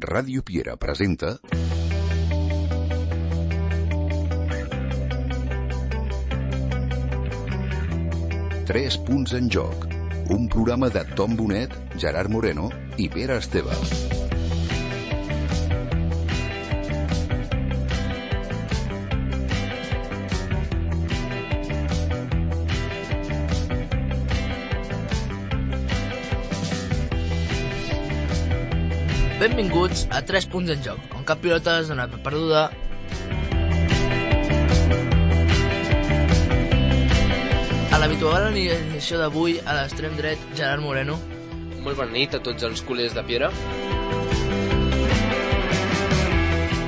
Ràdio Piera presenta... Tres punts en joc. Un programa de Tom Bonet, Gerard Moreno i Pere Esteve. Benvinguts a 3 punts en joc, on cap pilota es dona per perduda. A l'habitual alineació d'avui, a l'extrem dret, Gerard Moreno. Molt bona nit a tots els culers de Piera.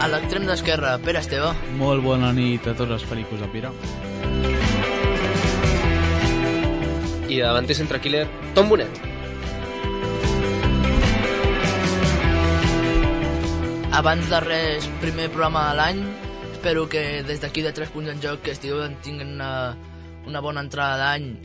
A l'extrem d'esquerra, Pere Esteve. Molt bona nit a tots els pericos de Piera. I de davanter centre-killer, Tom Bonet. Abans de res, primer programa de l'any. Espero que des d'aquí de 3 punts en joc que estigueu tinguent una bona entrada d'any,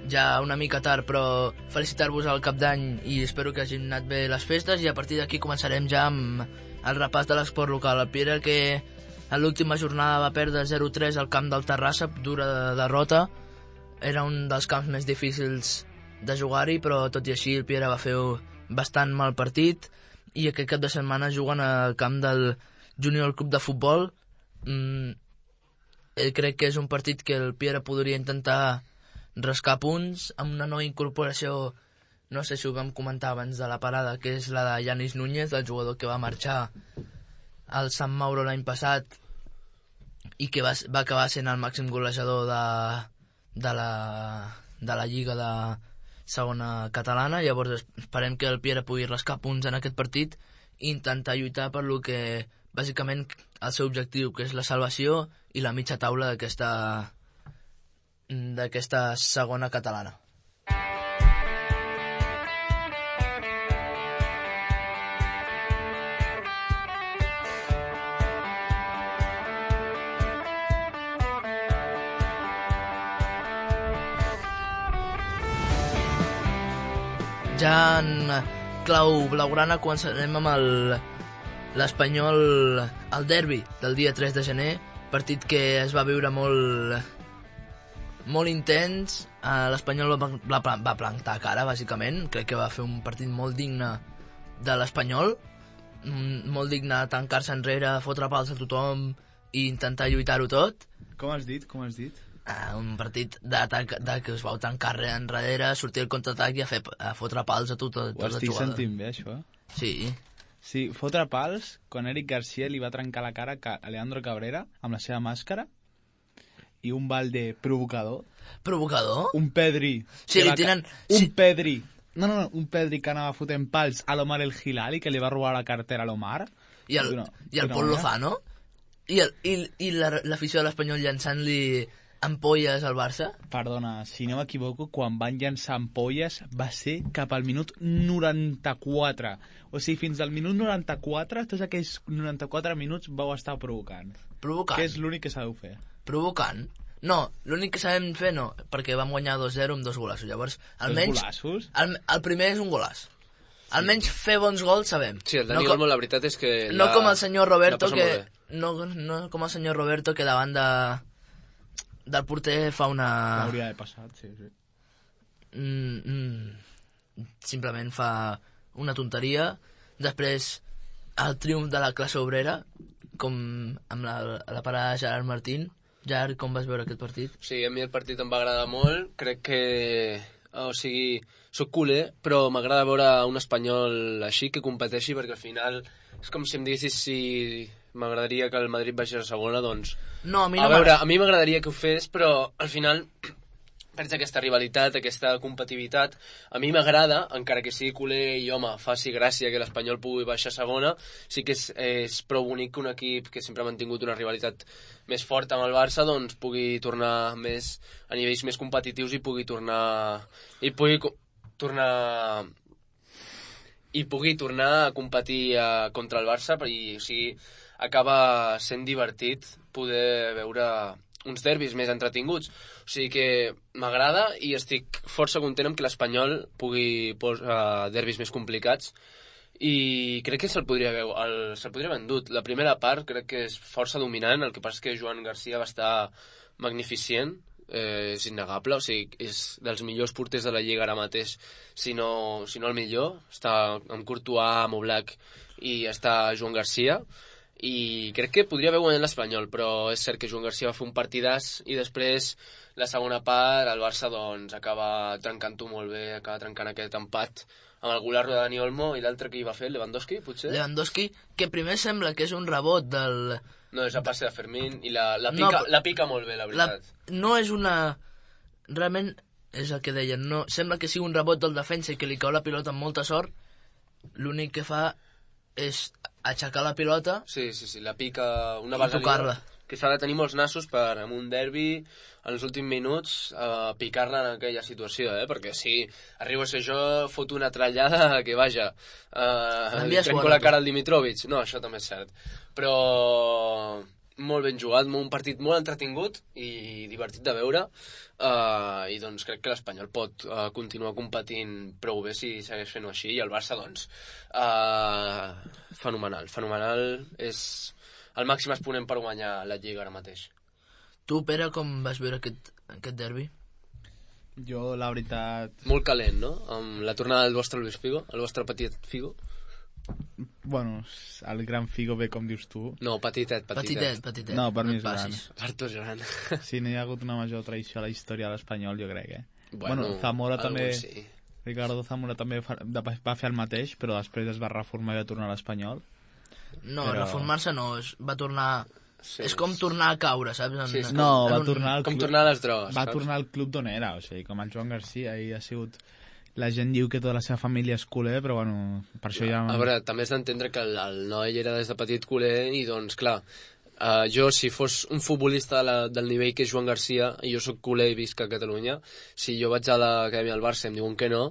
ja una mica tard, però felicitar-vos al cap d'any i espero que hagin anat bé les festes, i a partir d'aquí començarem ja amb el repàs de l'esport local. El Piera, que en l'última jornada va perdre 0-3 al camp del Terrassa, dura derrota. Era un dels camps més difícils de jugar-hi, però tot i així el Piera va fer bastant mal partit, i aquest cap de setmana juguen al camp del Júnior Club de Futbol. Crec que és un partit que el Piera podria intentar rascar punts amb una nova incorporació, no sé si ho vam comentar abans de la parada, que és la de Yanis Núñez, el jugador que va marxar al Sant Mauro l'any passat i que va acabar sent el màxim golejador de la Lliga de segona catalana. Llavors esperem que el Piera pugui rascar punts en aquest partit i intentar lluitar per lo que bàsicament el seu objectiu, que és la salvació i la mitja taula d'aquesta segona catalana. Ja en clau blaugrana començarem amb l'Espanyol, el derbi del dia 3 de gener, partit que es va viure molt intens. L'Espanyol va plantar cara, bàsicament. Crec que va fer un partit molt digne de l'Espanyol, molt digne de tancar-se enrere, fotre pals a tothom i intentar lluitar-ho tot. Com has dit? Un partit d'atac, que us vau tancar enrere, sortir el contraatac i a fotre pals a tota la jugada. Ho estic sentint bé, això? Sí, fotre pals, quan Eric García li va trencar la cara a Leandro Cabrera amb la seva màscara, i un Valde provocador. Provocador? Un Pedri. Sí, li tenen... Un Pedri. No, un Pedri que anava fotent pals a l'Omar El Hilali, que li va robar la cartera a l'Omar. I el Pol Lozano? I l'afició de l'Espanyol llançant-li ampolles al Barça? Perdona, si no m'equivoco, quan van llançar ampolles va ser cap al minut 94. O sigui, fins al minut 94, tots aquells 94 minuts vau estar provocant. Provocant? Que és l'únic que sabeu fer. Provocant? No, l'únic que sabem fer no, perquè vam guanyar 2-0 amb 2 golaços. Llavors, almenys... 2 golassos? El primer és un golàs. Almenys fer bons gols sabem. Sí, el Dani Olmo, la veritat és que... No com el senyor Roberto, que... No com el senyor Roberto, que davant del porter fa una... Hauria d'haver passat, sí. Simplement fa una tonteria. Després, el triomf de la classe obrera, com amb la parada de Gerard Martín. Gerard, com vas veure aquest partit? Sí, a mi el partit em va agradar molt. Crec que... O sigui, soc culer, però m'agrada veure un espanyol així que competeixi, perquè al final és com si em diguessis si m'agradaria que el Madrid baixés a segona, doncs... No, a mi no a mi m'agradaria que ho fes, però al final perds aquesta rivalitat, aquesta competitivitat. A mi m'agrada, encara que sigui culer i, home, faci gràcia que l'Espanyol pugui baixar a segona. Sí que és prou bonic que un equip que sempre ha mantingut una rivalitat més forta amb el Barça, doncs pugui tornar més a nivells més competitius i pugui tornar a competir contra el Barça, i o sigui, acaba sent divertit poder veure uns derbis més entretinguts. O sigui que m'agrada i estic força content amb que l'Espanyol pugui posar derbis més complicats i crec que se'l podria haver endut. La primera part crec que és força dominant, el que passa és que Joan Garcia va estar magnificent, és innegable, o sigui, és dels millors porters de la Lliga ara mateix, si no el millor. Està amb Courtois, amb Oblak i està Joan Garcia, i crec que podria haver guanyat l'Espanyol, però és cert que Joan Garcia va fer un partidàs i després la segona part el Barça doncs acaba trencant-ho molt bé, acaba trencant aquest empat amb el Gularro de Dani Olmo, i l'altre que hi va fer, Lewandowski, potser? Lewandowski, que primer sembla que és un rebot del... No, és a passe de Fermín, i la pica molt bé, la veritat. No és una... Realment, és el que deien, no... Sembla que sigui un rebot del defensa i que li cau la pilota amb molta sort. L'únic que fa és aixecar la pilota... Sí, la pica una vegada... I tocar-la. Que s'ha de tenir molts nassos per, en un derbi, en els últims minuts, picar-la en aquella situació, perquè si arribo a ser jo, foto una trallada que, vaja, trenco la cara al Dimitrovic. No, això també és cert. Però molt ben jugat, un partit molt entretingut i divertit de veure, i doncs crec que l'Espanyol pot continuar competint prou bé si segueix fent-ho així, i el Barça, doncs, fenomenal, és el màxim exponent per guanyar la Lliga ara mateix. Tu, Pere, com vas veure aquest derbi? Jo, la veritat... Molt calent, no? Amb la tornada del vostre Luis Figo, el vostre petit Figo. Bueno, el gran Figo ve com dius tu. No, petitet. Petitet. No, per mi és gran. Per tu és gran. Sí, no hi ha hagut una major traïció a la història de l'Espanyol, jo crec, Bueno, Zamora també... Sí. Ricardo Zamora també va fer el mateix, però després es va reformar i va tornar a l'Espanyol. No, reformar-se no, va tornar... Sí, és com tornar a caure, saps? Va tornar al club... Com tornar a les drogues. Va tornar al club d'on era, o sigui, com el Joan Garcia, i ha sigut... La gent diu que tota la seva família és culer, però bueno, per això ja... A veure, també has d'entendre que el noi era des de petit culer i doncs, clar, jo, si fos un futbolista del nivell que és Joan Garcia, i jo sóc culer i visc a Catalunya, si jo vaig a l'acadèmia del Barça i em diuen que no,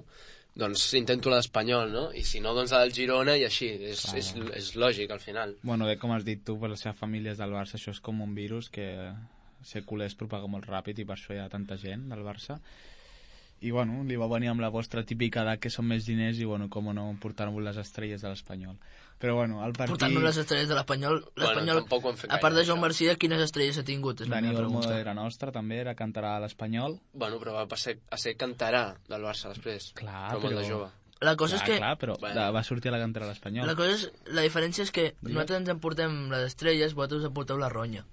doncs intento la d'Espanyol, no? I si no, doncs la del Girona, i així. És lògic, al final. Bueno, bé, com has dit tu, per la seva família és del Barça, això és com un virus que ser culer es propaga molt ràpid i per això hi ha tanta gent del Barça. I, bueno, li va venir amb la vostra típica edat que són més diners i, bueno, com no, portar-vos les estrelles de l'Espanyol. Però, bueno, el partit... Portant-nos les estrelles de l'Espanyol... Bueno, tampoc ho hem fet gaire, a part de Joan Garcia, quines estrelles ha tingut? Dani Olmo era nostre, també, era cantarà a l'Espanyol. Bueno, però va a ser cantarà del Barça després. Clar, però... molt de jove. La cosa és que... Clar, però va sortir a la cantera a l'Espanyol. La diferència és que nosaltres ens emportem les estrelles, vosaltres us emporteu la ronya.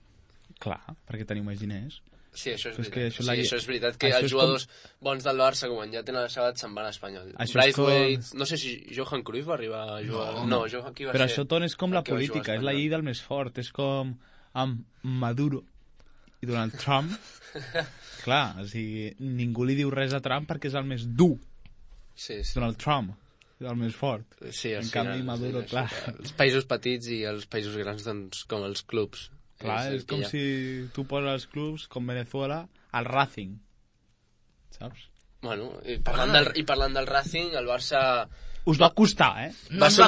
Clar, perquè teniu més diners. Sí, això és veritat. Això és veritat, que els jugadors bons del Barça, quan ja tenen la seva edat, se'n van a l'Espanyol. Braithwaite, no sé si Johan Cruyff va arribar a jugar... No, Johan, qui va ser? Però això, Ton, és com la política, és la llei del més fort, és com amb Maduro i Donald Trump. Clar, o sigui, ningú li diu res a Trump perquè és el més dur. Sí. Donald Trump és el més fort. Sí, en canvi, Maduro, clar... Els països petits i els països grans, doncs, com els clubs. Clar, és com si tu poses els clubs com Venezuela al Racing, saps? Bueno, i parlant del Racing, el Barça... Us va costar, Va ser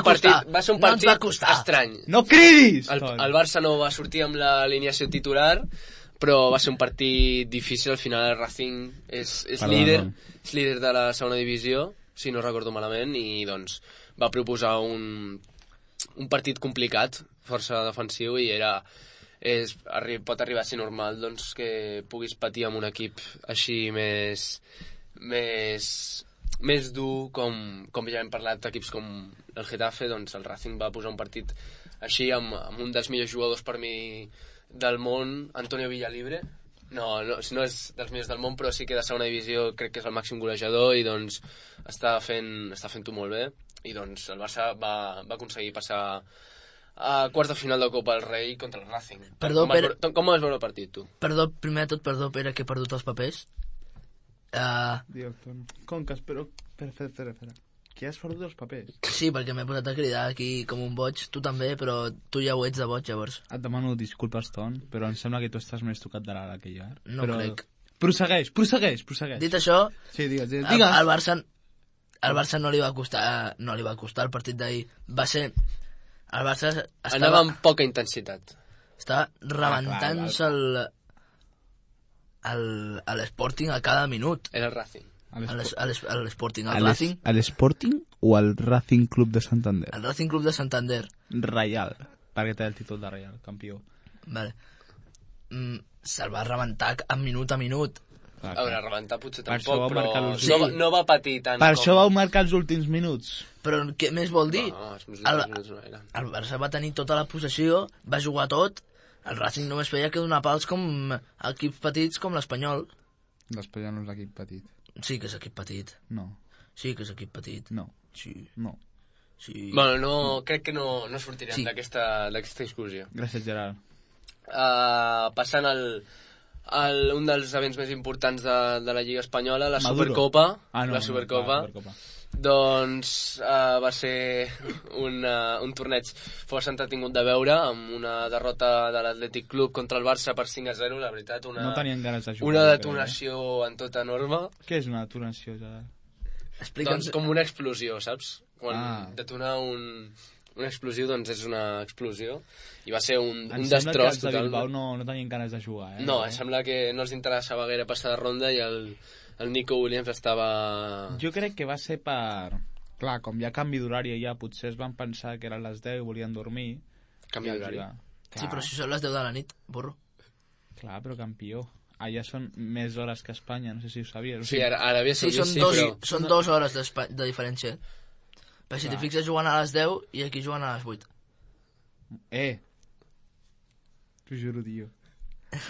un partit estrany. No cridis! El Barça no va sortir amb l'alineació titular, però va ser un partit difícil. Al final el Racing és líder de la segona divisió, si no recordo malament, i doncs va proposar un partit complicat, força defensiu, i pot arribar a ser normal doncs, que puguis patir amb un equip així més dur, com ja hem parlat d'equips com el Getafe. Doncs el Racing va posar un partit així amb un dels millors jugadors per mi del món, Antonio Villalibre. No és dels millors del món, però sí que de segona divisió crec que és el màxim golejador, i doncs està fent-ho molt bé, i doncs el Barça va aconseguir passar a quarts de final de Copa del Rei contra el Racing. Perdó, Pere... Com vas veure el partit, tu? Primer de tot, perdó, Pere, que he perdut els papers. Conques, però... Espera. Que has perdut els papers? Sí, perquè m'he posat a cridar aquí com un boig. Tu també, però tu ja ho ets de boig, llavors. Et demano disculpes, Ton, però em sembla que tu estàs més tocat de l'ara que jo. No crec. Prossegueix. Dit això... Sí, digues. Al Barça no li va costar el partit d'ahir. Va ser... El Barça anava amb poca intensitat. Estava rebentant-se l'Sporting a cada minut. Era el Racing. A l'Sporting, al Racing. A l'Sporting o al Racing Club de Santander? Al Racing Club de Santander. Reial, perquè té el títol de Reial, campió. Vale. Se'l va rebentar minut a minut. A veure, rebentar potser Per això tampoc, va marcar però l'últim. no va patir tant Per com... això vau marcar els últims minuts. Però què més vol dir? No, els minuts no eren. El Barça va tenir tota la possessió, va jugar tot, el Racing només feia que donar pals com equips petits com l'Espanyol. L'Espanyol no és l'equip petit. Sí que és equip petit. No. Sí que és equip petit. No. Sí. No. Sí. Bueno, crec que no sortirem Sí. d'aquesta discussió. Gràcies, Gerard. Passant un dels events més importants de la Lliga Espanyola, la Maduro. Supercopa. Ah, no, la Supercopa. la Supercopa. Doncs va ser un torneig força entretingut de veure, amb una derrota de l'Atlètic Club contra el Barça per 5-0, la veritat, No tenien ganes de jugar. una jo detonació en tota norma. crec. Què és una detonació, Gerard? Explica'ns... Doncs com una explosió, saps? Quan Ah. detonar un explosiu, doncs és una explosió. I va ser un Em sembla que destroç els de total. Bilbao no tenien ganes de jugar, No, sembla que no els interessava gaire passar de ronda i el Nico Williams estava... Jo crec que va ser per... Clar, com hi ha canvi d'horari ja, potser es van pensar que eren les 10 i volien dormir. Canvi d'horari. Sí, però si són les 10 de la nit, burro. Clar, però campió. Allà són més hores que a Espanya, no sé si ho sabies. O Sí, sigui, Aràbia Sí, Saudita són 2 hores de diferència. Però si t'hi Clar. fixes jugant a les 10 i aquí juguen a les 8. T'ho juro, tio.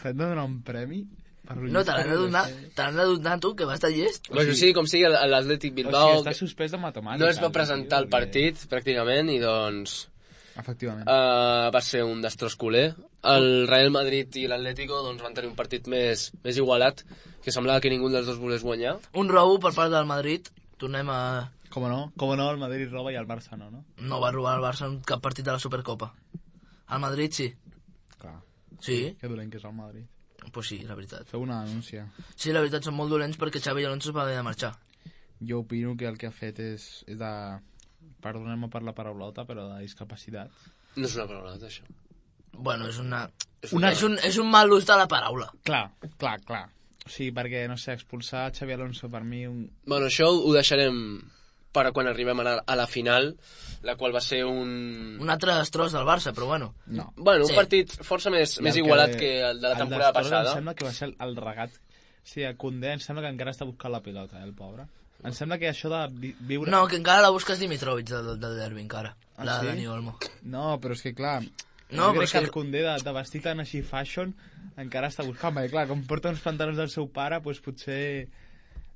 T'han de donar un premi? Per No, te l'han de donar tu, que vas de llest. Bueno, sí, com sigui, l'Atlètic O Bilbao sigui, està suspès de matemàtiques. no es va presentar al partit, pràcticament, i doncs Efectivament. va ser un destroç culer. El Real Madrid i l'Atlético doncs, van tenir un partit més igualat, que semblava que ningú dels dos volés guanyar. Un robo per part del Madrid. Tornem a... Com no, el Madrid roba i el Barça no? No va robar el Barça en cap partit de la Supercopa. El Madrid sí. Clar. Sí? Que dolent que és el Madrid. Pues sí, la veritat. Feu una denúncia. Sí, la veritat, són molt dolents perquè Xavi Alonso va haver de marxar. Jo opino que el que ha fet és de... Perdoneu-me per la paraulota, però de discapacitat. No és una paraula, això. Bueno, és una... Una- És un mal ús de la paraula. Clar. O sigui, perquè, no sé, expulsar Xavi Alonso per mi... Bueno, això ho deixarem per a quan arribem a la final, la qual va ser Un altre destroç del Barça, però bueno. No. Bueno, un Sí. partit força més igualat que el de la temporada passada. Em sembla que va ser el regat. Sí, a Koundé em sembla que encara està buscant la pilota, el pobre. Em sembla que això de viure... No, que encara la busques Dimitrovic del derbi, encara. La sí? de Dani Olmo. No, però és que clar... No, jo però crec és que que- el Koundé de vestir tan així fashion encara està buscant, perquè clar, com porta uns pantalons del seu pare, doncs potser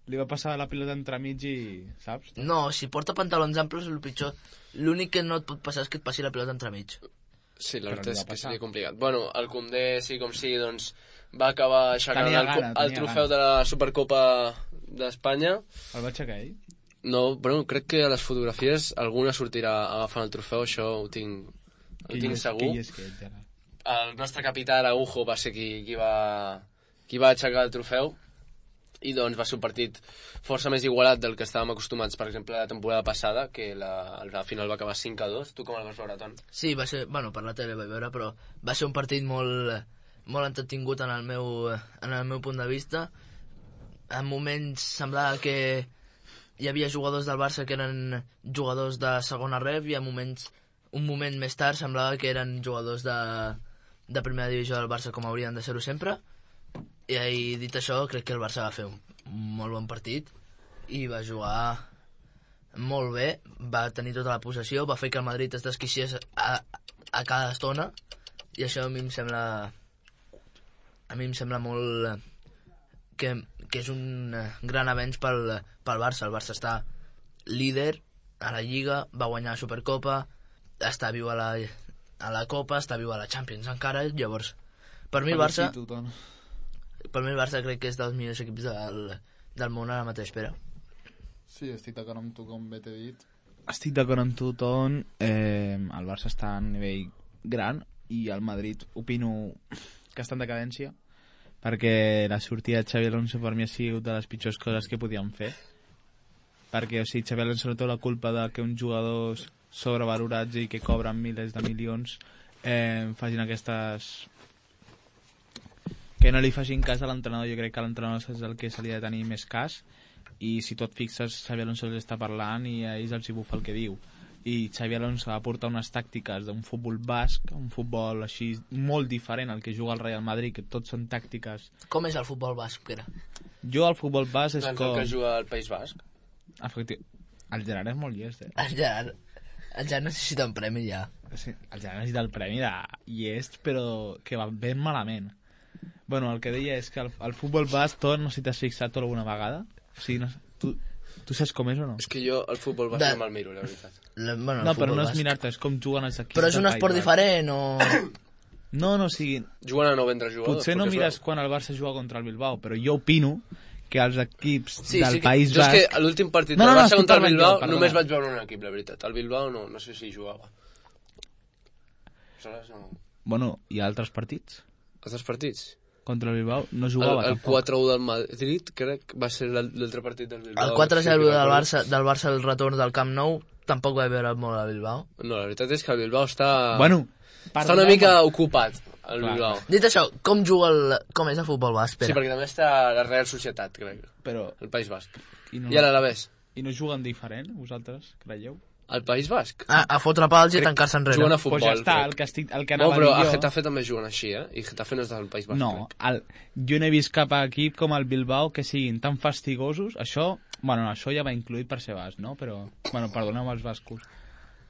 li va passar la pilota entremig i... saps? No, si porta pantalons amples, el pitjor... L'únic que no et pot passar és que et passi la pilota entremig. Sí, la Però veritat li és va que passar. seria complicat. Bueno, el Koundé, sí com sí, doncs va acabar aixecant Tenia el gana. trofeu de la Supercopa d'Espanya. El va aixecar ell? No, bueno, crec que a les fotografies alguna sortirà agafant el trofeu, això ho tinc segur. Qui és que ell, Gerard? El nostre capità Araujo va ser qui va aixecar el trofeu, i doncs va ser un partit força més igualat del que estàvem acostumats, per exemple, la temporada passada, que la final va acabar 5-2. Tu com el vas veure, Ton? Sí, va ser... Bueno, per la tele vaig veure, però va ser un partit molt entretingut en el meu punt de vista. En moments semblava que hi havia jugadors del Barça que eren jugadors de segona ref, i un moment més tard semblava que eren jugadors de primera divisió del Barça, com haurien de ser-ho sempre. I dit això, crec que el Barça va fer un molt bon partit i va jugar molt bé, va tenir tota la possessió, va fer que el Madrid es desquiciés a cada estona, i això a mi em sembla molt que és un gran avenç pel Barça. El Barça està líder a la Lliga, va guanyar la Supercopa, està viu a la Copa, està viu a la Champions encara. Llavors, per mi el Barça crec que és dels millors equips del món ara mateix, Pere. Sí, estic d'acord amb tu, com bé t'he dit. Estic d'acord amb tu, Ton. El Barça està a nivell gran i el Madrid opino que està en decadència, perquè la sortida de Xavi Alonso per mi ha sigut de les pitjors coses que podíem fer, perquè o sigui, Xavi Alonso no té la culpa de que uns jugadors sobrevalorats i que cobren milers de milions facin aquestes... que no li facin cas a l'entrenador. Jo crec que a l'entrenador és el que se li ha de tenir més cas, i si tu et fixes, Xabi Alonso els està parlant i a ells els hi bufa el que diu. I Xabi Alonso va portar unes tàctiques d'un futbol basc, un futbol així molt diferent al que juga el Real Madrid, que tots són tàctiques. Com és el futbol basc, Pere? Jo al futbol basc és doncs com... el que juga al País Basc. El Gerard és molt llest, El Gerard necessita un premi ja. Sí, el Gerard necessita el premi de llest, però que va ben malament. Bueno, el que deia és que el futbol basc, tot, no sé si t'has fixat tot alguna vegada. O sigui, no, tu saps com és o no? És que jo el futbol basc no me'l miro, la veritat. Bueno, no, però no és mirar-te, és com juguen els equips. Però és un esport diferent o... No, o sigui... Juguen a no vendre jugadors. Potser no mires quan el Barça juga contra el Bilbao, però jo opino que els equips del País Basc... Jo és que a l'últim partit del Barça contra el Bilbao només vaig veure un equip, la veritat. El Bilbao no sé si jugava. Aleshores no... Bueno, i altres partits? Altres partits? Contra el Bilbao no jugava el tampoc. 4-1 del Madrid, crec, va ser l'altre partit del Bilbao. El 4-0 del Barça al retorn del Camp Nou tampoc va veure molt a Bilbao. No, la veritat és que el Bilbao està... Bueno, està una mica ocupat, el Bilbao. Dit això, com és el futbol basc, Pere? Sí, perquè també està la Real Societat, crec. Però... El País Basc. I l'Alavés. I no juguen diferent, vosaltres, creieu? Al País Basc? A fotre pals i tancar-se enrere. Juguen a futbol. Pues ja està, el que anava però a dir a Getafe també juguen així, I Getafe no és del País Basc. No, jo no he vist cap equip com el Bilbao que siguin tan fastigosos. Això, bueno, això ja va incluït per ser basc, no? Però, bueno, perdoneu els bascos.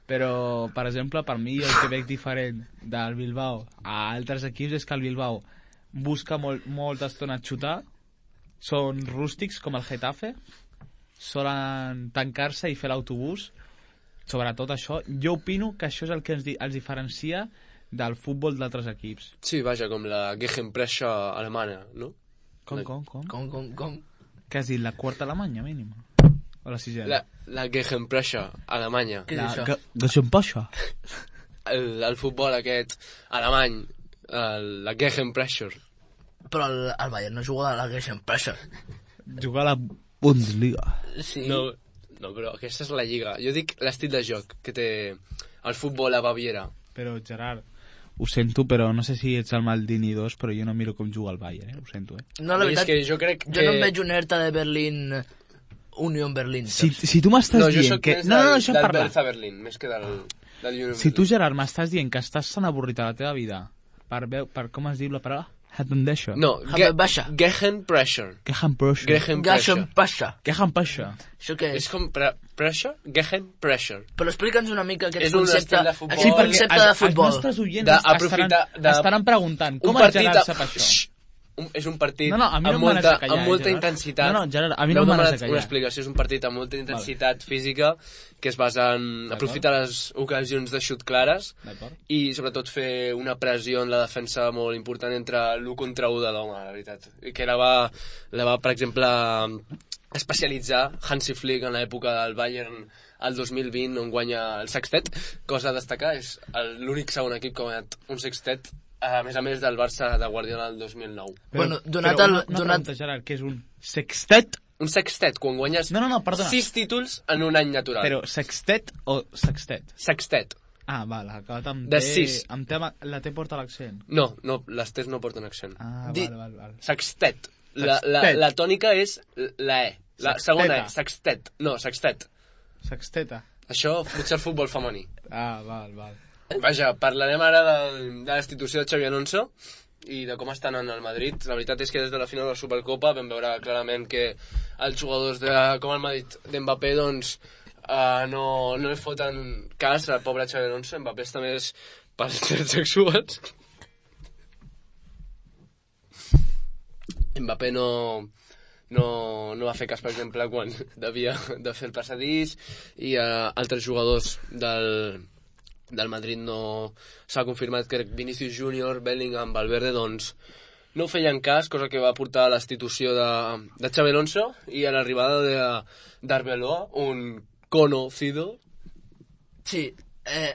Però, per exemple, per mi el que veig diferent del Bilbao a altres equips és que el Bilbao busca molta estona xutar, són rústics com el Getafe, solen tancar-se i fer l'autobús. Sobretot això, jo opino que això és el que els diferencia del futbol d'altres equips. Sí, vaja, com la Gegenpressure alemana, no? Com? Què has dit, la quarta alemanya, mínima? O la sisena? La Gegenpressure alemanya. Què és això? Gegenpressure? El futbol aquest alemany, la Gegenpressure. Però el Bayern no juga a la Gegenpressure. Juga a la Bundesliga. Sí. No, però aquesta és la lliga. Jo dic l'estil de joc que té el futbol a Baviera. Però, Gerard, ho sento, però no sé si ets el Maldini 2, però jo no miro com juga el Bayern, ho sento, No, la veritat, és que jo crec que... Jo no em veig un Hertha de Berlín, Union Berlin. Si tu m'estàs dient que... No, jo soc més del Hertha Berlín, més que del Union Berlin. Si tu, Gerard, m'estàs dient que estàs tan avorrit a la teva vida per com es diu la paraula? No, Gegenpressure. Gegenpressure. Això què és? És com pressure? Gegenpressure. Però explica'ns una mica aquest concepte de futbol. Sí, concepte de futbol. Els nostres oients estaran preguntant com el Gerard sap això. És un partit amb molta intensitat. No, Gerard, a mi no m'ha de callar. Una explicació, és un partit amb molta intensitat física que es basa en aprofitar les ocasions de xut clares i sobretot fer una pressió en la defensa molt important entre l'1 contra 1 de l'home, la veritat. Que la va, per exemple, especialitzar Hansi Flick en l'època del Bayern al 2020, on guanya el sextet. Cosa a destacar, és l'únic segon equip que ha guanyat un sextet, a més del Barça de Guardiola del 2009. Bueno, una pregunta, Gerard, què és un sextet? Un sextet, quan guanyes 6 títols en un any natural. Però sextet o sextet? Sextet. Ah, val, acabat amb de 6. La T porta l'accent. No, les T's no porten accent. Ah, val. Sextet. La tònica és la E. La segona E, sextet. No, sextet. Sexteta. Això potser el futbol femení. Ah, val. Vaja, parlarem ara de la institució de Xabi Alonso i de com estan en el Madrid. La veritat és que des de la final de la Supercopa vam veure clarament que els jugadors com el Madrid d'Mbappé doncs no li foten cas al pobre Xabi Alonso. Mbappé està més pels drets sexuals. Mbappé no va fer cas, per exemple, quan devia de fer el passadís, i altres jugadors del Madrid no s'ha confirmat que Vinicius Junior, Bellingham, Valverde doncs no feien cas, cosa que va portar a la destitució de Xabi Alonso i a l'arribada d'Arbeloa, un conocido. Sí,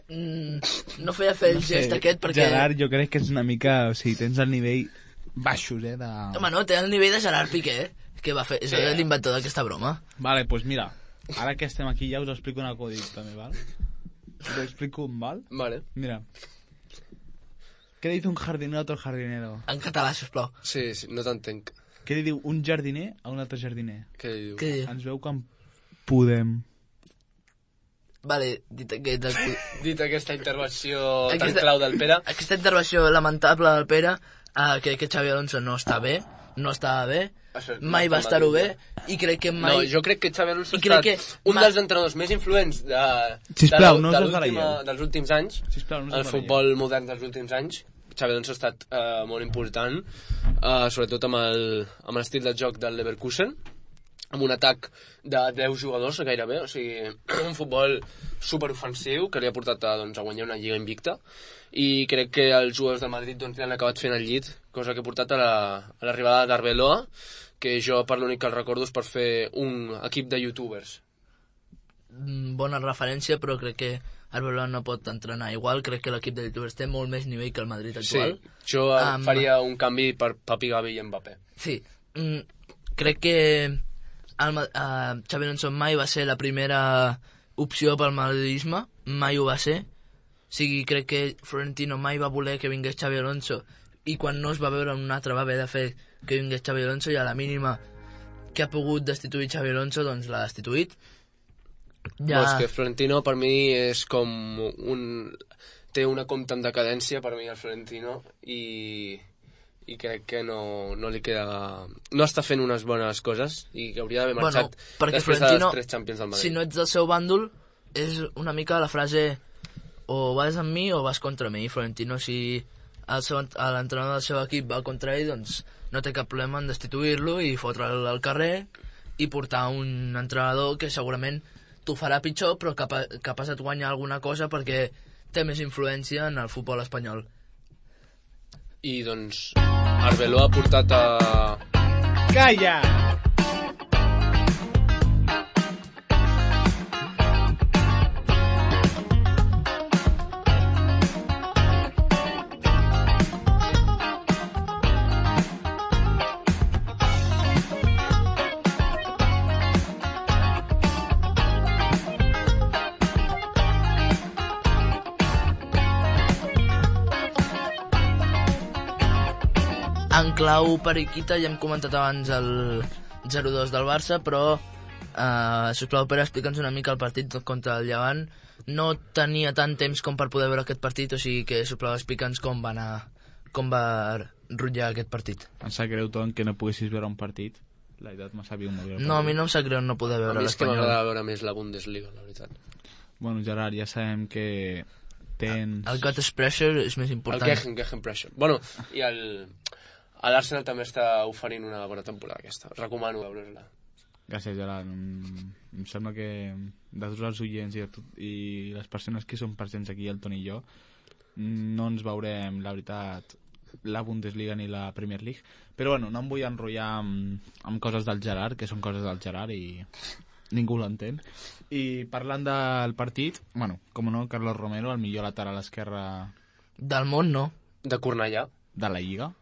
no feia fer el gest aquest perquè... Gerard, jo crec que és una mica... O sigui, tens el nivell baixos, Home, no, té el nivell de Gerard Piqué, que va fer, és l'inventor d'aquesta broma. Vale, pues mira, ara que estem aquí ja us explico un acudit també, val? ¿Lo explico mal? Vale. Mira. ¿Qué dice un jardinero a otro jardinero? En català, sisplau. Sí, no t'entenc. Què li diu un jardiner a un altre jardiner? Què diu? Què diu? Ens veu quan podem. Vale, Dit aquesta intervenció tan clau del Pere. Aquesta intervenció lamentable del Pere, crec que Xabi Alonso no està bé, no estava bé, Això mai no va està estar-ho mal bé, dit, i crec que mai... No, jo crec que Xabi Alonso ha crec estat un dels entrenadors més influents Sisplau, no us desbaralleu. dels últims anys, Sisplau, no us el desbaralleu. futbol modern dels últims anys. Xabi Alonso ha estat molt important, sobretot amb l'estil de joc del Leverkusen, amb un atac de 10 jugadors gairebé, o sigui, un futbol superofensiu que li ha portat a guanyar una lliga invicta, i crec que els jugadors del Madrid li han acabat fent el llit, cosa que ha portat a l'arribada d'Arbeloa, que jo per l'únic que el recordo és per fer un equip de youtubers. Bona referència, però crec que Arbeloa no pot entrenar igual, crec que l'equip de youtubers té molt més nivell que el Madrid actual. Sí, jo faria un canvi per Papi, Gavi i Mbappé. Sí, crec que Xabi Alonso mai va ser la primera opció pel madridisme, mai ho va ser. O sigui, crec que Florentino mai va voler que vingués Xabi Alonso, i quan no es va veure un altre va haver de fer que vingués Xabi Alonso, i a la mínima que ha pogut destituir Xabi Alonso, doncs l'ha destituït. Ja... És que Florentino per mi és com té una compta en decadència per mi el Florentino, i crec que no li queda... No està fent unes bones coses i que hauria d'haver marxat després dels 3 Champions del Madrid. Si no ets del seu bàndol, és una mica la frase o vas amb mi o vas contra mi. Florentino, si l'entrenador del seu equip va contra ell, doncs no té cap problema en destituir-lo i fotre'l al carrer i portar un entrenador que segurament t'ho farà pitjor, però capaç et guanyar alguna cosa perquè té més influència en el futbol espanyol. I doncs Arbeloa ha portat a... Calla! En clau periquita, ja hem comentat abans el 0-2 del Barça, però sisplau, Pere, explica'ns una mica el partit contra el Llevant. No tenia tant temps com per poder veure aquest partit, o sigui que, sisplau, explica'ns com va rotllar aquest partit. Em sap greu, Ton, que no poguessis veure un partit. La veritat, m'ha sabut molt greu. No, a mi no em sap greu no poder veure l'Espanyol. A mi és que m'agrada veure més la Bundesliga, la veritat. Bueno, Gerard, ja sabem que tens... El Gottes Pressure és més important. El Gehen Pressure. Bueno, i l'Arsenal també està oferint una bona temporada aquesta. Recomano veure-la. Gràcies, Gerard. Em sembla que de tots els oients i les persones que són presents aquí, el Toni i jo, no ens veurem, la veritat, la Bundesliga ni la Premier League. Però bueno, no em vull enrotllar amb coses del Gerard, que són coses del Gerard i ningú l'entén. I parlant del partit, bueno, com no, Carlos Romero, el millor lateral esquerre... Del món, no. De Cornellà. De la Lliga.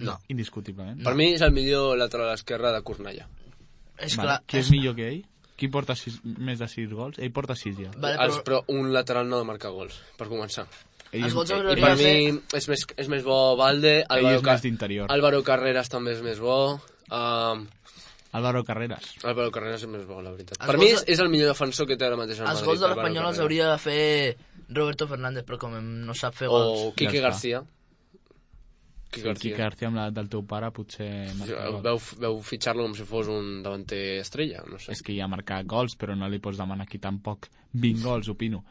No. Indiscutiblement. Per mi és el millor lateral esquerre de Cornellà. És vale. clar. Qui és millor que ell? Qui porta més de 6 gols? Ell porta 6 ja. Vale, però un lateral no ha de marcar gols, per començar. Els gols I per mi és més bo Valde. Ell és més d'interior. Álvaro Carreras també és més bo. Álvaro Carreras. Álvaro Carreras és més bo, la veritat. Per mi és el millor defensor que té ara mateix el Madrid. Els gols de l'Espanyol els hauria de fer Roberto Fernández, però com no sap fer gols... O Quique García. Quique García amb l'edat del teu pare potser veu fitxar-lo com si fos un davanter estrella, no sé. És que ja ha marcat gols, però no li pots demanar aquí tampoc 20 gols, opino.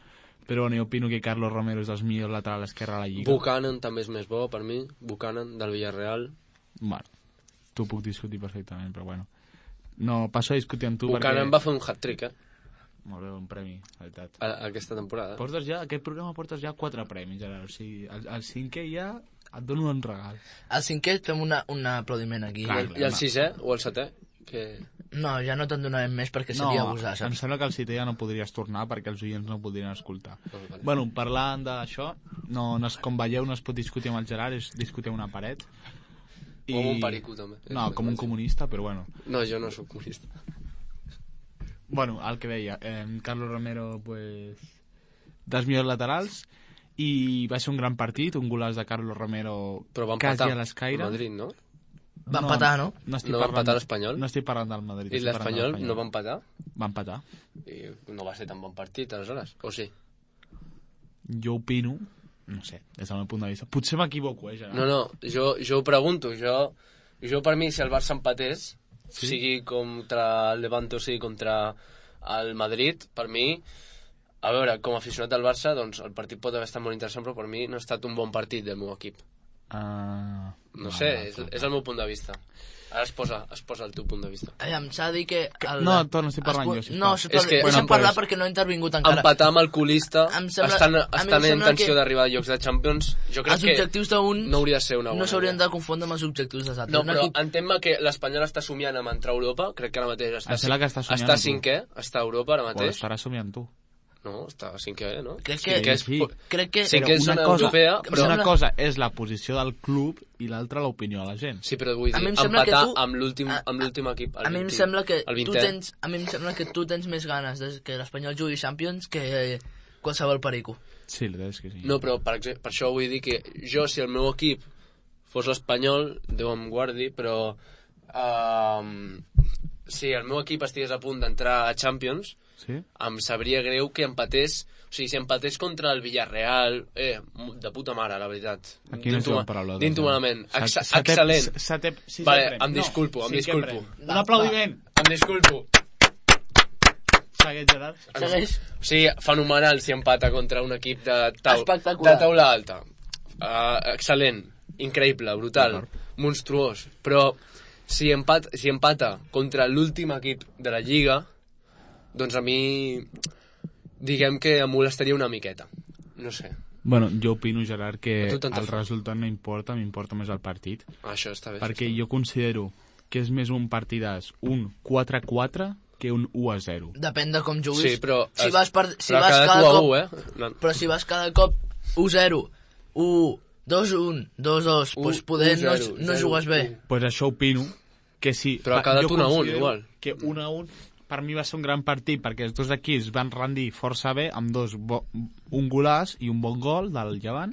Però bueno, jo opino que Carlos Romero és el millor lateral esquerre a la Lliga. Buchanan també és més bo per mi, Buchanan del Villarreal. Bueno, t'ho puc discutir perfectament, però bueno. No, passo a discutir amb tu Buchanan va fer un hat-trick, Molt bé, un premi, la veritat. Aquesta temporada. Aquest programa portes ja 4 premis, Gerard. O sigui, el 5è ja et dono un regal. El 5è fem un aplaudiment aquí. Clar, I el 6è o el 7è? Que... No, ja no te'n donarem més perquè seria abusar, saps? Em sembla que el 7è ja no podries tornar perquè els oients no podrien escoltar. Vale. Bueno, parlant d'això, com veieu, no es pot discutir amb el Gerard, és discutir una paret. Com un perico, també. No, com un comunista, però bueno. No, jo no soc comunista. Bueno, el que deia, Carlos Romero, pues, dels millors laterals, i va ser un gran partit, un golaç de Carlos Romero però quasi a l'escaire. Madrid, no? Va empatar, no? No va empatar l'Espanyol? No estic parlant del Madrid. I l'Espanyol no va empatar? Va empatar. I no va ser tan bon partit, aleshores, o sí? Jo opino, no sé, des del meu punt de vista. Potser m'equivoco, Gerard. No, jo ho pregunto. Jo per mi, si el Barça empatés, sigui contra el Levante o sigui contra el Madrid, per mi, a veure, com a aficionat del Barça, doncs el partit pot haver estat molt interessant, però per mi no ha estat un bon partit del meu equip. No sé, és el meu punt de vista. Ara es posa el teu punt de vista. S'ha de dir que... No, no estic parlant jo. No, deixa'm parlar perquè no he intervingut encara. Empatar amb el colista, estan en tensió d'arribar a llocs de Champions, jo crec que no hauria de ser una bona. No s'haurien de confondre amb els objectius dels altres. No, però entén-me que l'Espanyol està somiant amb entrar a Europa, crec que ara mateix està cinquè, està a Europa ara mateix. O estarà somiant tu. No, està cinquè, no? Crec que cinquè és zona europea, però una cosa és la posició del club i l'altra l'opinió de la gent. Sí, però vull dir, empatar amb l'últim equip. A mi em sembla que tu tens més ganes que l'Espanyol jugui Champions que qualsevol perico. Sí, la veritat és que sí. No, però per això vull dir que jo, si el meu equip fos l'Espanyol, Déu em guardi, però si el meu equip estigués a punt d'entrar a Champions, em sabria greu que empatés. O sigui, si empatés contra el Villarreal, de puta mare, la veritat. Aquí no tinc paraula. Dinto malament. Excel·lent. Vale, em disculpo. Un aplaudiment. Em disculpo. Segueix, Gerard. Segueix. O sigui, fenomenal si empata contra un equip de taula alta. Excel·lent, increïble, brutal, monstruós. Però si empata contra l'últim equip de la Lliga, doncs a mi, diguem que em molestaria una miqueta. No sé. Bueno, jo opino, Gerard, que el resultat no importa, m'importa més el partit. Això està bé. Perquè jo considero que és més un partidàs, un 4-4, que un 1-0. Depèn de com juguis. Sí, però però si vas cada cop 1-0, 1, 2-1, 2-2, doncs poder no jugues bé. Pues això opino, que sí. Però ha quedat 1-1, igual. Que 1-1 per mi va ser un gran partit, perquè els dos equips van rendir força bé, amb un golàs i un bon gol del Llevant,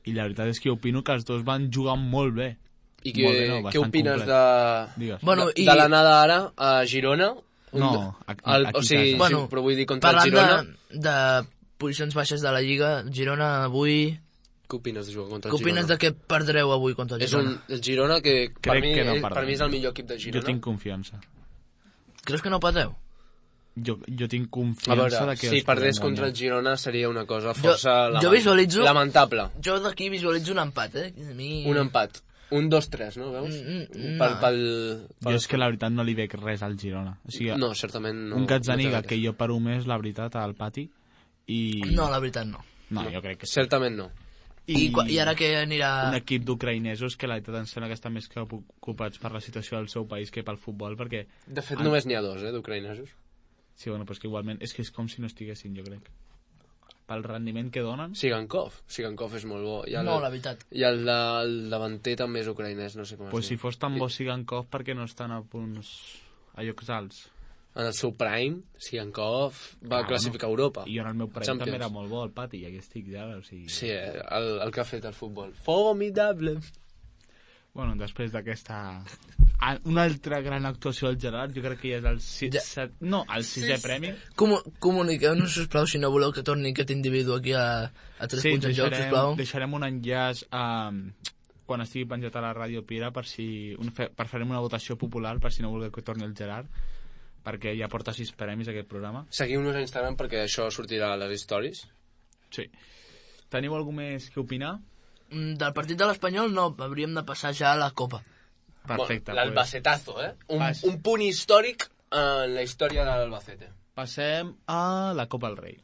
i la veritat és que opino que els dos van jugar molt bé. I què opines de l'anada ara a Girona? No, o sigui, però vull dir contra el Girona. Parlant de posicions baixes de la Lliga, Girona avui... Què opines de jugar contra el Girona? Què opines de que perdreu avui contra el Girona? És el Girona que per mi és el millor equip de Girona. Jo tinc confiança. Creus que no pateu? Jo tinc confiança de que... Si perdés contra el Girona seria una cosa força lamentable. Jo d'aquí visualitzo un empat, Un empat. Un 2-3, no? Veus? Jo és que la veritat no li veig res al Girona. O sigui, no, certament no. Un Gazzaniga que jo paro més, la veritat, al pati. No, la veritat no. No, jo crec que sí. Certament no. I ara que anirà... Un equip d'ucraïnesos que la veritat em sembla que estan més preocupats per la situació del seu país que pel futbol, perquè... De fet, només n'hi ha dos, d'ucraïnesos. Sí, bueno, però és que igualment... És que és com si no estiguessin, jo crec. Pel rendiment que donen... Sigankov és molt bo. No, la veritat. I el davanter també és ucraïnès, no sé com es diu. Pues si fos tan bo Sigankov, perquè no estan a punts... a llocs alts. En el seu prime, Sigankov va classificar a Europa. I jo en el meu prime també era molt bo al pati, i aquí estic ja, o sigui... Sí, el que ha fet el futbol. Formidable! Bueno, després d'aquesta... Una altra gran actuació del Gerard, jo crec que ja és el sisè premi. Comuniqueu-nos, sisplau, si no voleu que torni aquest individu aquí a 3 punts en joc, sisplau. Deixarem un enllaç quan estigui penjat a la Ràdio Pira per farem una votació popular per si no voleu que torni el Gerard, perquè ja porta 6 premis aquest programa. Seguiu-nos a Instagram perquè això sortirà a les stories. Sí. Teniu algú més que opinar? Del partit de l'Espanyol no, hauríem de passar ja a la Copa. Perfecte. L'Albacetazo, un punt històric en la història de l'Albacete. Passem a la Copa del Rei.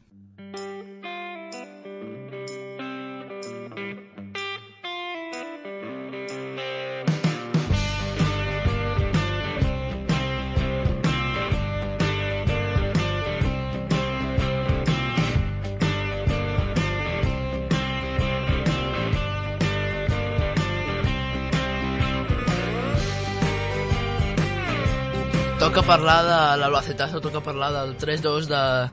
Toca parlar de l'Albacetazo, toca parlar del 3-2 de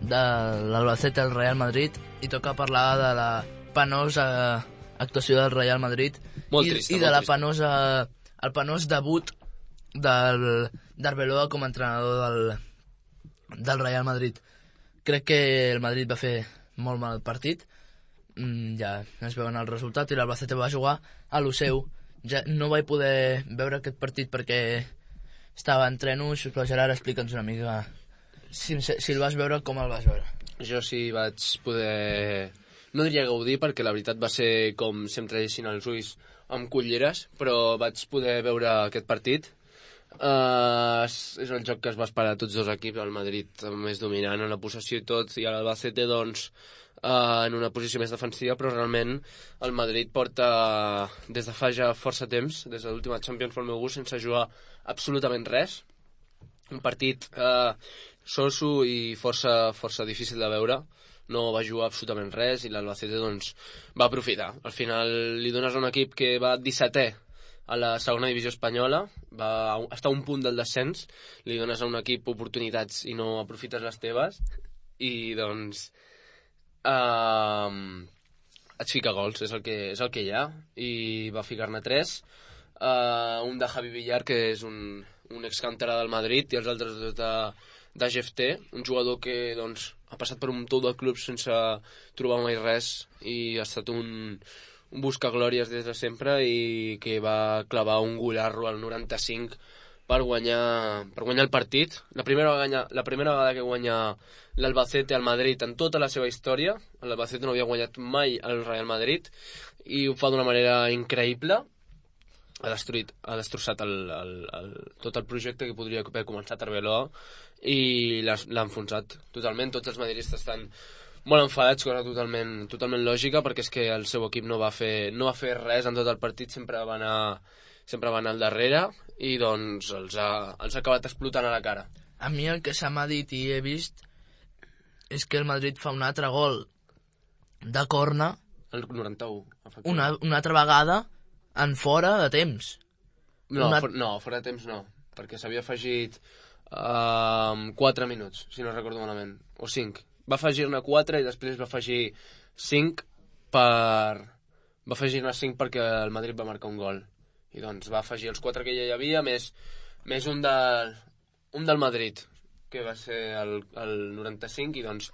l'Albacete al Real Madrid i toca parlar de la penosa actuació del Real Madrid molt trista, i de la penosa el penós debut d'Arbeloa com a entrenador del Real Madrid. Crec que el Madrid va fer molt mal partit, ja es veuen el resultat, i l'Albacete va jugar a lo seu. Ja no vaig poder veure aquest partit perquè estava en trenos, però Gerard, explica'ns una mica si el vas veure, com el vas veure. Jo sí vaig poder... No diria gaudir, perquè la veritat va ser com sempre deixin els ulls amb culleres, però vaig poder veure aquest partit. És el joc que es va esperar a tots dos equips, el Madrid més dominant en la possessió i tot, i l'Albacete doncs en una posició més defensiva, però realment el Madrid porta des de fa ja força temps, des de l'última Champions pel meu gust, sense jugar absolutament res. Un partit soso i força difícil de veure. No va jugar absolutament res i l'Albacete doncs va aprofitar. Al final li dones a un equip que va 17è a la segona divisió espanyola, va estar a un punt del descens, li dones a un equip oportunitats i no aprofites les teves, i doncs et fica gols, és el que hi ha, i va ficar-ne 3, un de Javi Villar, que és un excanterà del Madrid, i els altres dos de GFT, un jugador que doncs ha passat per un munt de clubs sense trobar mai res i ha estat un buscaglòries des de sempre, i que va clavar un golarro al 95 per guanyar el partit. La primera vegada que guanya l'Albacete al Madrid en tota la seva història. L'Albacete no havia guanyat mai al Real Madrid i ho fa d'una manera increïble. Ha destrossat tot el projecte que podria haver començat Arbeloa i l'ha enfonsat totalment. Tots els madridistes estan molt enfadats, cosa totalment lògica, perquè és que el seu equip no va fer res en tot el partit, sempre va anar al darrere, i doncs els ha acabat explotant a la cara. A mi el que se m'ha dit i he vist és que el Madrid fa un altre gol de corna, el 91, una altra vegada en fora de temps. Fora de temps no, perquè s'havia afegit 4 minuts, si no recordo malament, o 5. Va afegir-ne 4 i després va afegir 5 perquè el Madrid va marcar un gol. I doncs va afegir els 4 que ja hi havia, més un del Madrid, que va ser el 95, i doncs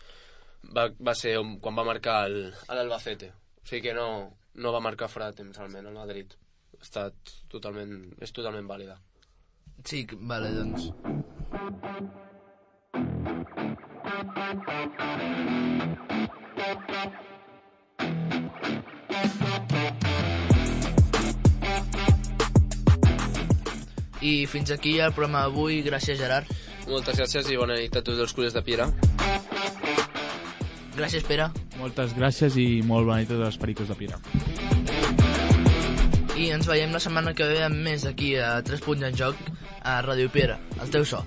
va ser quan va marcar l'Albacete. O sigui que no va marcar fora de temps, almenys, el Madrid. És totalment vàlida. Sí, vale, doncs. I fins aquí el programa d'avui. Gràcies, Gerard. Moltes gràcies i bona nit a tots els culers de Piera. Gràcies, Pere. Moltes gràcies i molt bona nit a tots els pericos de Piera. I ens veiem la setmana que ve amb més aquí a 3 punts en joc a Ràdio Piera, el teu so.